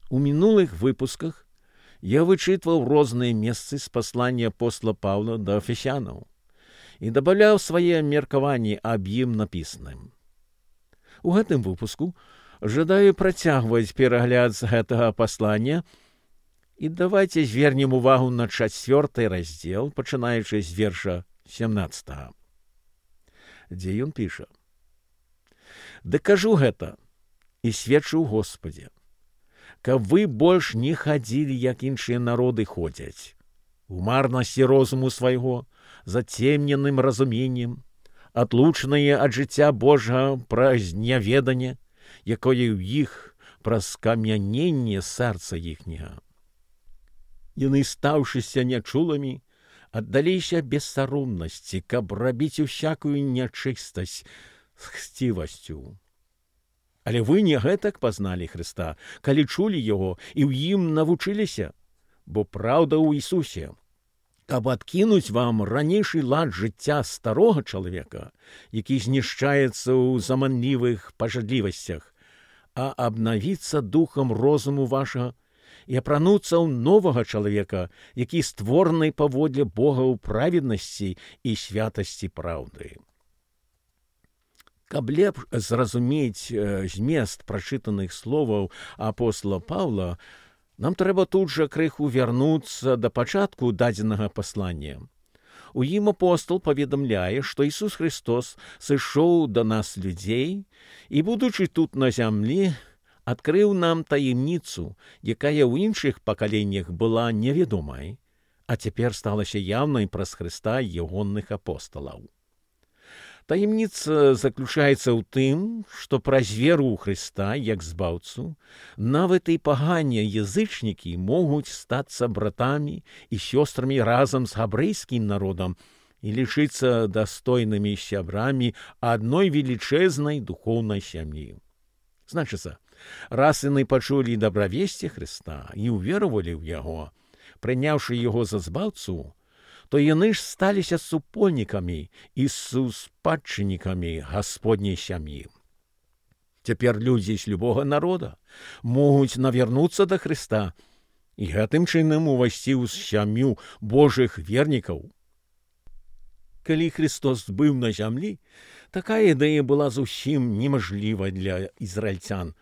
У мінулых выпусках я вычытваў розныя месцы з паслання апостола Паўла да Эфесянаў і дабаўляў свае меркаванні аб ім напісаным. У гэтым выпуску жадаю працягваць перагляд з гэтага паслання, і давайце звернем увагу на 4 раздзел, пачынаючы з верша 17, дзе ён піша: «Ды кажу гэта і сведчу ў Господзе, каб вы больш не хадзілі, як іншыя народы ходзяць, у марнасці розуму свайго, зацемненым разуменнем, адлучаныя ад жыцця Божага праз няведанне, якое ў іх праз камяненне сэрца іхняга. Яны, стаўшыся нячуламі, аддаліся бессаромнасці, каб рабіць усякую нячыстасць з хцівасцю. Але вы не гэтак пазналі Хрыста, калі чулі Яго і ў ім навучыліся, бо праўда ў Ісусе, каб адкінуць вам ранейшы лад жыцця старога чалавека, які знішчаецца ў заманлівых пажадлівасцях, а абнавіцца духам розуму вашага і апрануцца ў новага чалавека, які створаны паводле Бога ў праведнасці і святасці праўды». Каб лепш зразумець змест прачытаных словаў апостола Паўла, нам трэба тут жа крыху вярнуцца да пачатку дадзенага паслання. У ім апостол паведамляе, што Ісус Христос сышоў да нас людзей і, будучы тут на зямлі, адкрыў нам таемніцу, якая ў іншых пакаленнях была невядомай, а цяпер сталася яўнай праз Хрыста ягоных апосталаў. Таемніца заключаецца ў тым, што праз веру ў Хрыста, як збаўцу, нават і паганыя язычнікі могуць стацца братамі і сёстрамі разам з габрэйскім народам і лічыцца дастойнымі сябрамі адной велічэзнай духоўнай сям'і. Значыцца, раз яны пачулі дабравесці Хрыста і ўверавалі ў Яго, прыняўшы Яго за збаўцу, то яны ж сталіся супольнікамі і суспадчыннікамі Гасподняй сям'і. Цяпер людзі з любога народа могуць навярнуцца да Хрыста і гэтым чынам увайсці ў сям'ю Божых вернікаў. Калі Христос быў на зямлі, такая ідэя была зусім немажліва для ізраільцян,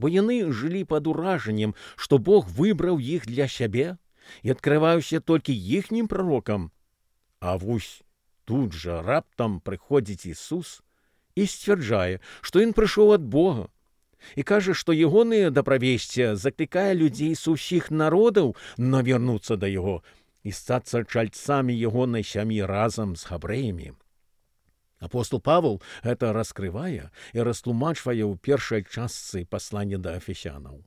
бо яны жылі пад уражаннем, што Бог выбраў іх для сябе і адкрываўся толькі іхнім прарокам. А вось тут жа раптам прыходзіць Ісус і сцвярджае, што ён прыйшоў ад Бога, і кажа, што ягонае дабравесце заклікае людзей з усіх народаў навярнуцца да Яго і стацца чальцамі ягонай сям'і разам з габрэямі. Апостол Павел гэта раскрывае і растлумачвае ў першай частцы паслання да Эфесянаў.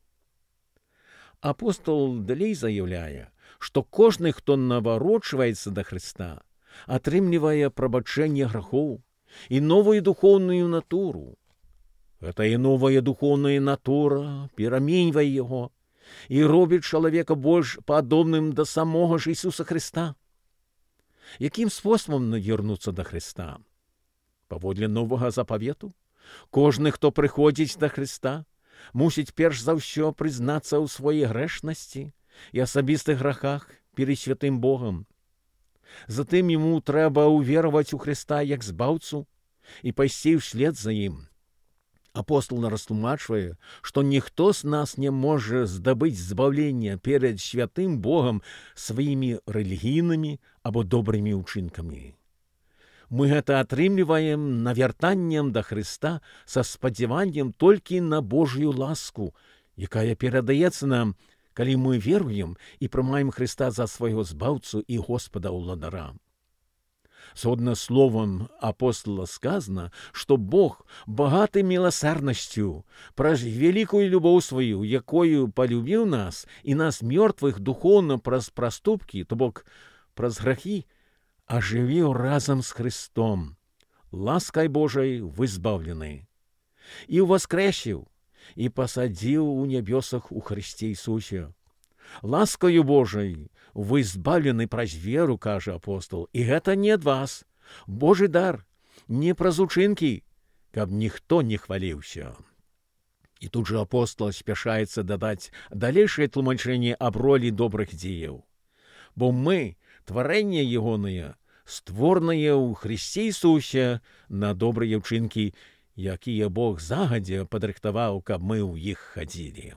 Апостол далей заяўляе, што кожны, хто наварочваецца да Хрыста, атрымлівае прабачэнне грахоў і новую духоўную натуру. Гэтая новая духоўная натура пераменьвае яго і робіць чалавека больш падобным да самога ж Ісуса Хрыста. Якім спосабам навярнуцца да Хрыста? Паводле новага запавету, кожны, хто прыходзіць да Хрыста, мусіць перш за ўсё прызнацца ў сваёй грэшнасці і асабістых грахах перад святым Богам. Затым яму трэба ўвераваць у Хрыста як збаўцу і пайсці ўслед за ім. Апостол растлумачвае, што ніхто з нас не можа здабыць збаўлення перад святым Богам сваімі рэлігійнымі або добрымі ўчынкамі. Мы гэта атрымліваем навяртаннем да Хрыста са спадзяваннем толькі на Божую ласку, якая перадаецца нам, калі мы веруем і прымаем Хрыста за свайго збаўцу і Господа ўладара. Згодна словам апостола сказана, што Бог багаты міласэрнасцю праз вялікую любоў сваю, якою палюбіў нас і нас мёртвых духоўна праз праступкі, то бок праз грахі, ажывіў разам з Христом, ласкай Божай вызбаўлены, і ўваскрэсіў, і пасадзіў у нябёсах у Христе Ісусе. Ласкаю Божай вы збаўлены праз веру, кажа апостол, і гэта не ад вас, Божы дар, не праз учынкі, каб ніхто не хваліўся. І тут жа апостол спяшаецца дадаць далейшае тлумачэнне аб ролі добрых дзеяў. Бо мы, тварэнне ягонае, створанае ў Христе Ісусе на добрыя ўчынкі, якія Бог загадзя падрыхтаваў, каб мы ў іх хадзілі.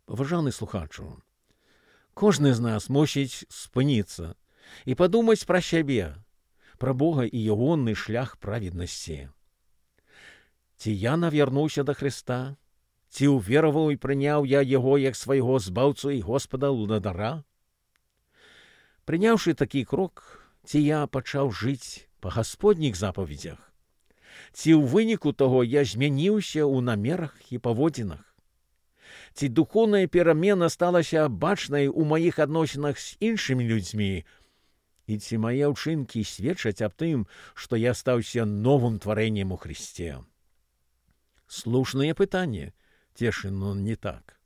Паважаны слухачу, кожны з нас мусіць спыніцца і падумаць пра сябе, пра Бога і ягоны шлях праведнасці. Ці я навярнуўся да Христа? Ці ўвераваў і прыняў я Яго як свайго збаўцу і Господа ўладара? Прыняўшы такі крок, ці я пачаў жыць па гасподніх запаведзях? Ці ў выніку таго я змяніўся ў намерах і паводзінах? Ці духоўная перамена сталася бачнай у маіх адносінах з іншымі людзьмі? І ці мае ўчынкі сведчаць аб тым, што я стаўся новым тварэннем у Христе? Слушнае пытанне, цешын, но не так.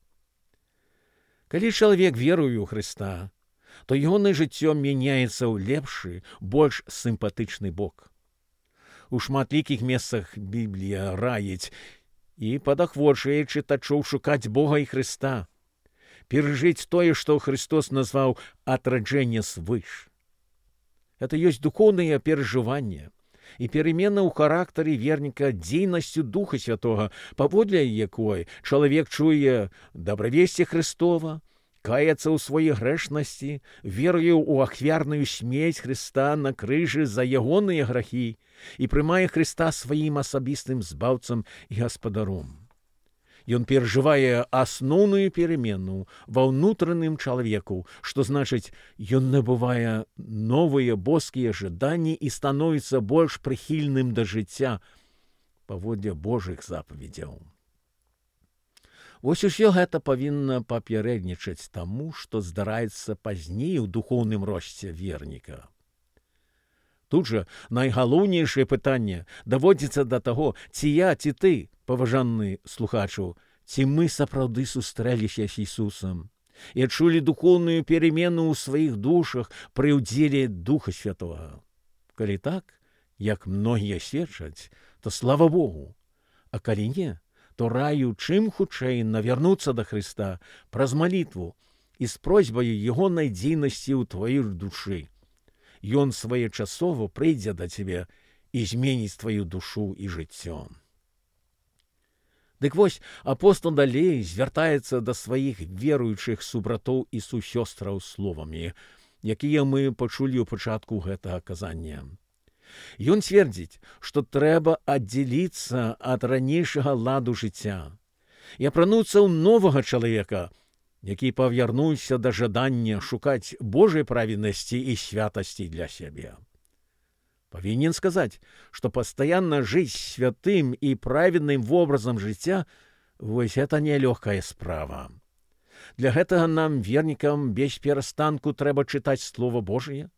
Калі чалавек веруе ў Христа, то ягонае жыццё мяняецца ў лепшы, больш сімпатычны бок. У шматлікіх месцах Біблія раіць і падахвочвае чытачоў шукаць Бога і Христа, перажыць тое, што Христос назваў «атраджэнне свыш». Это ёсць духоўнае перажыванне і перамена ў характары верніка дзейнасцю Духа Святога, паводле якой чалавек чуе дабравесце Христова, каяцца ў сваёй грэшнасці, веруе ў ахвярную смерць Христа на крыжы за ягоныя грахі і прымае Христа сваім асабістым збаўцам і гаспадаром. Ён перажывае асноўную перамену ва ўнутраным чалавеку, што значыць, ён набывае новыя боскія жаданні і становіцца больш прыхільным да жыцця паводле Божых запаведзяў. Вось усё гэта павінна папярэднічаць таму, што здараецца пазней у духоўным росце верніка. Тут жа найгалоўнейшае пытанне даводзіцца да таго, ці я, ці ты, паважаны слухачу, ці мы сапраўды сустрэліся з Ісусам і адчулі духоўную перамену ў сваіх душах пры ўдзеле Духа Святога. Калі так, як многія сведчаць, то слава Богу, а калі не, то раю чым хутчэй навярнуцца да Христа праз малітву і з просьбаю ягонай дзейнасці ў тваёй душы. Ён своечасова прыйдзе да цябе і зменіць тваю душу і жыццё. Дык вось, апостол далей звяртаецца да сваіх веруючых субратоў і сусёстраў словамі, якія мы пачулі ў пачатку гэтага казання. Ён цвердзіць, што трэба аддзеліцца ад ранейшага ладу жыцця і апрануцца ў новага чалавека, які павярнуўся да жадання шукаць Божай праведнасці і святасці для сябе. Павінен сказаць, што пастаянна жыць святым і праведным вобразам жыцця – вось гэта нелёгкая справа. Для гэтага нам, вернікам, без перастанку трэба чытаць Слова Божае,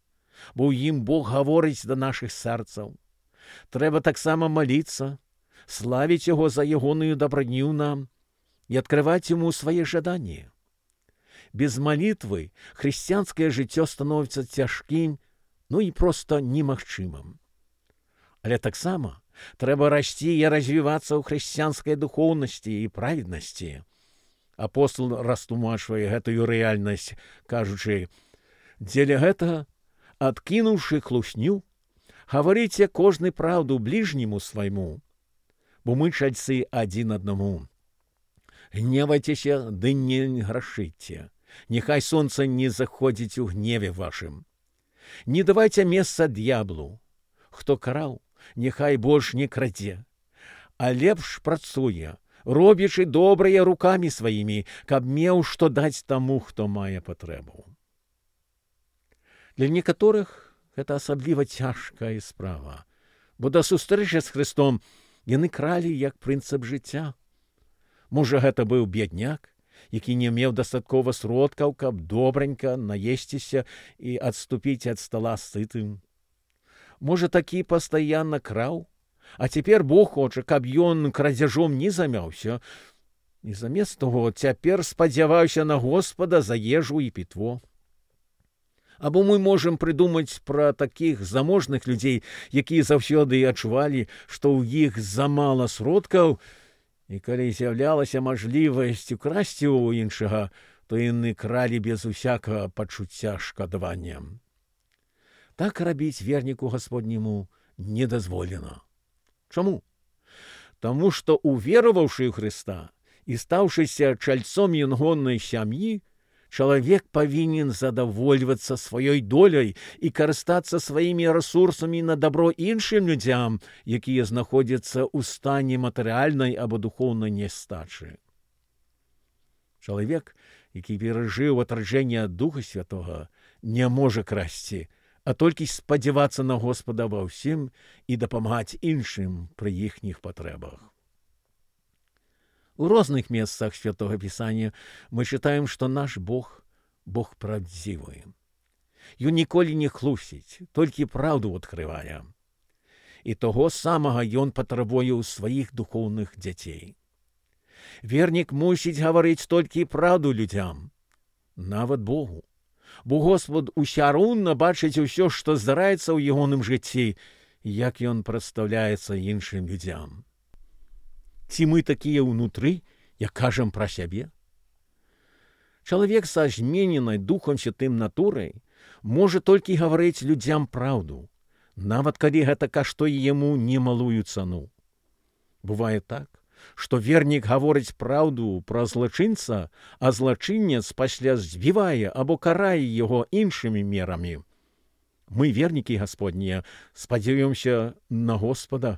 бо ў ім Бог гаворыць да нашых сэрцаў. Трэба таксама маліцца, славіць Яго за ягоную дабрадню нам і адкрываць Яму свае жаданні. Без малітвы хрысціянскае жыццё становіцца цяжкім, ну і проста немагчымым. Але таксама трэба расці і развівацца ў хрысціянскай духоўнасці і праведнасці. Апостол растлумачвае гэтую рэальнасць, кажучы, дзеля гэтага, адкінуўшы хлусню, гаварыце кожны праўду бліжняму свайму, бо мы чальцы адзін аднаму. Гневайцеся, ды не грашыце, няхай сонца не заходзіць у гневе вашым. Не давайце месца д'яблу. Хто краў, няхай больш не крадзе, а лепш працуе, робячы добрыя рукамі сваімі, каб меў што даць таму, хто мае патрэбу. Для некаторых гэта асабліва цяжкая справа, бо да сустрэчы з Христом яны кралі як прынцып жыцця. Можа, гэта быў бедняк, які не меў дастаткова сродкаў, каб добранька наесціся і адступіць ад стала сытым. Можа, такі пастаянна краў, а цяпер Бог хоча, каб ён крадзяжом не замяўся, і замест таго цяпер спадзяваўся на Господа за ежу і пітво. Або мы можам прыдумаць пра такіх заможных людзей, якія заўсёды адчувалі, што ў іх замала сродкаў, І калі з'яўлялася мажлівасць украсці ў іншага, то яны кралі без усякага пачуцця шкадавання. Так рабіць верніку Гасподняму не дазволена. Чаму? Таму што, увераваўшы ў Хрыста і стаўшыся чальцом ягонай сям'і, чалавек павінен задавольвацца сваёй доляй і карыстацца сваімі рэсурсамі на дабро іншым людзям, якія знаходзяцца ў стане матэрыяльнай або духоўнай нястачы. Чалавек, які перажыў атраджэнне ад Духа Святога, не можа красці, а толькі спадзявацца на Господа ва ўсім і дапамагаць іншым пры іхніх патрэбах. У розных месцах Святого Пісання мы чытаем, што наш Бог – Бог правдзівы. Ён ніколі не хлусіць, толькі праўду адкрывае. І таго самага ён патрабуе ў сваіх духоўных дзяцей. Вернік мусіць гаварыць толькі праўду людзям, нават Богу. Бо Господ усяроўна бачыць усё, што здараецца ў ягоным жыцці, як ён прадстаўляецца іншым людзям. Ці мы такія ўнутры, як кажам пра сябе? Чалавек са змененай Духам Святым натурай можа толькі гаварыць людзям праўду, нават калі гэта каштуе яму немалую цану. Бывае так, што вернік гаворыць праўду пра злачынца, а злачынец пасля збівае або карае яго іншымі мерамі. Мы, вернікі Гасподнія, спадзяёмся на Господа,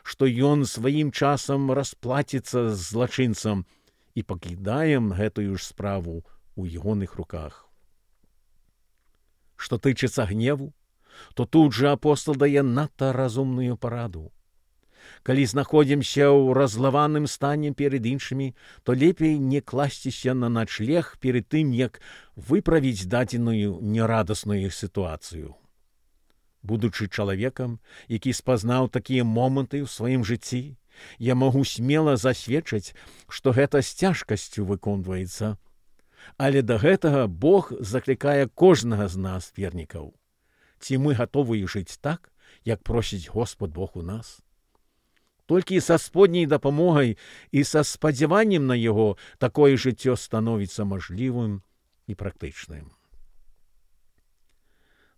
што ён сваім часам расплаціцца з злачынцам і пакідаем гэтую ж справу ў ягоных руках. Што тычыцца гневу, то тут жа апостол дае надта разумную параду. Калі знаходзімся ў раззлаваным стане перад іншымі, то лепей не класціся на начлег перад тым, як выправіць дадзеную нерадасную сітуацыю. Будучы чалавекам, які спазнаў такія моманты ў сваім жыцці, я магу смела засведчыць, што гэта з цяжкасцю выконваецца. Але да гэтага Бог заклікае кожнага з нас, вернікаў. Ці мы гатовыя жыць так, як просіць Господ Бог у нас? Толькі са Сподняй дапамогай і са спадзяваннем на яго такое жыццё становіцца мажлівым і практычным.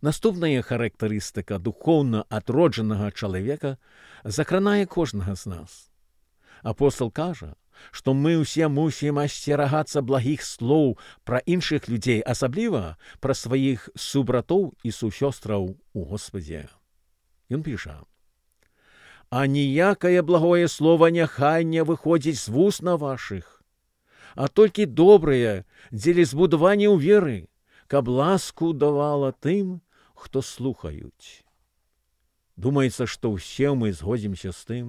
Наступная характарыстыка духоўна адроджанага чалавека закранае кожнага з нас. Апостол кажа, што мы ўсе мусім асцерагацца благіх слоў пра іншых людзей, асабліва пра сваіх субратоў і сусёстраў у Господзе. Ён піша: «А ніякае благое слова няхай не выходзіць з вусна вашых, а толькі добрае дзеля збудавання ў веры, каб ласку давала тым, хто слухаюць». Думаецца, што ўсе мы згодзімся з тым,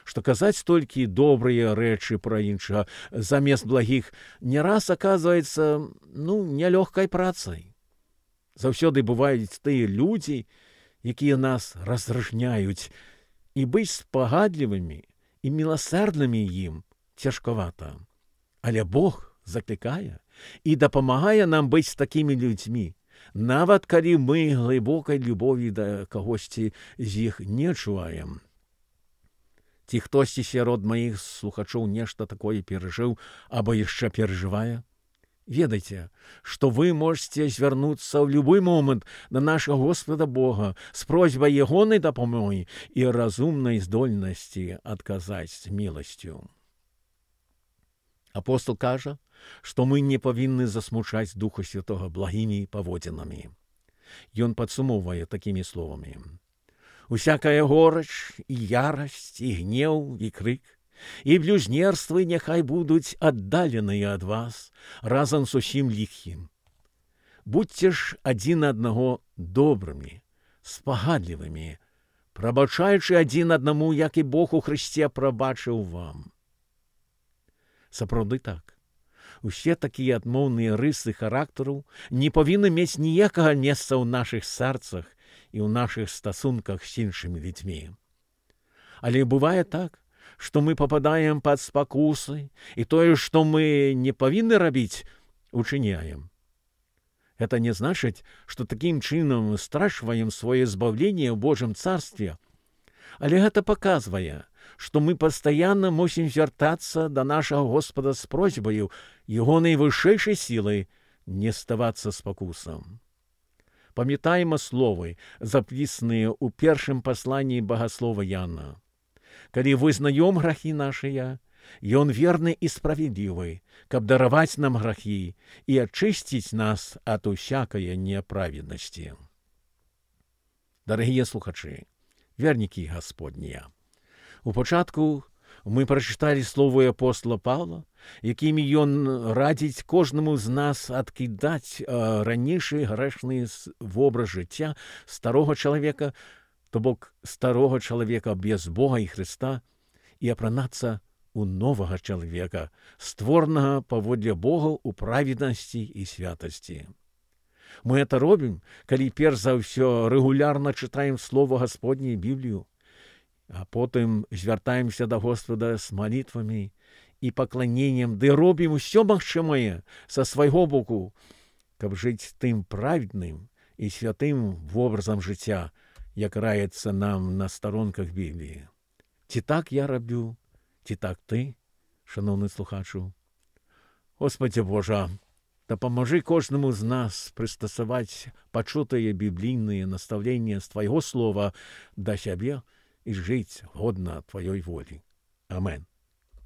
што казаць толькі добрыя рэчы пра іншага замест благіх не раз аказваецца, нялёгкай працай. Заўсёды бываюць тыя людзі, якія нас раздражняюць, і быць спагадлівымі і міласэрнымі ім цяжкавата. Але Бог заклікае і дапамагае нам быць такімі людзьмі, нават калі мы глыбокай любові да кагосьці з іх не чуваем. Ці хтосьці сярод маіх слухачоў нешта такое перажыў або яшчэ перажывае? Ведайце, што вы можете звярнуцца ў любой момант на нашага Господа Бога з просьбай ягонай дапамогі і разумнай здольнасці адказаць міласцю. Апостол кажа, што мы не павінны засмучаць Духа Святога благімі паводзінамі. Ён падсумоўвае такімі словамі: «Усякая горыч і ярасць, і гнеў, і крык, і блюзнерствы няхай будуць аддаленыя ад вас разам з усім ліхім. Будьце ж адзін аднаго добрымі, спагадлівымі, прабачаючы адзін аднаму, як і Бог у Хрысце прабачыў вам». Сапраўды так. Усе такія адмоўныя рысы характару не павінны мець ніякага месца ў нашых сэрцах і ў нашых стасунках з іншымі людзьмі. Але бывае так, што мы пападаем пад спакусы, і тое, што мы не павінны рабіць, учыняем. Гэта не значыць, што такім чынам страчваем сваё збаўленне ў Божым царстве, але гэта паказвае, што мы пастаянна мусім звяртацца да нашага Господа з просьбаю Яго найвышэйшай сілай не ставацца спакусам. Памятаем словы, запісаныя ў першым пасланні багаслова Яна. Калі вызнаём грахі нашыя, Ён верны і справедлівы, каб дараваць нам грахі і ачысціць нас ад усякае няправеднасці. Дарагія слухачы, вернікі Гасподнія, у пачатку мы прачыталі словы апостола Павла, якімі ён радзіць кожнаму з нас адкідаць ранейшы грэшны вобраз жыцця старога чалавека, то бок старога чалавека без Бога і Хрыста, і апранацца у новага чалавека, створанага паводле Бога ў праведнасці і святасці. Мы это робім, калі перш за ўсё рэгулярна чытаем Слова Гасподняе Біблію, а потым звяртаемся да Господа з малітвамі і пакланеннем, ды робім усё магчымае са свайго боку, каб жыць тым праведным і святым вобразам жыцця, як раецца нам на старонках Бібліі. Ці так я раблю, ці так ты, шановны слухачу? Господи Божа, дапамажы кожнаму з нас прыстасаваць пачутыя біблійныя настаўленні з Твайго слова да сябе і жыць годна Тваёй волі. Амен.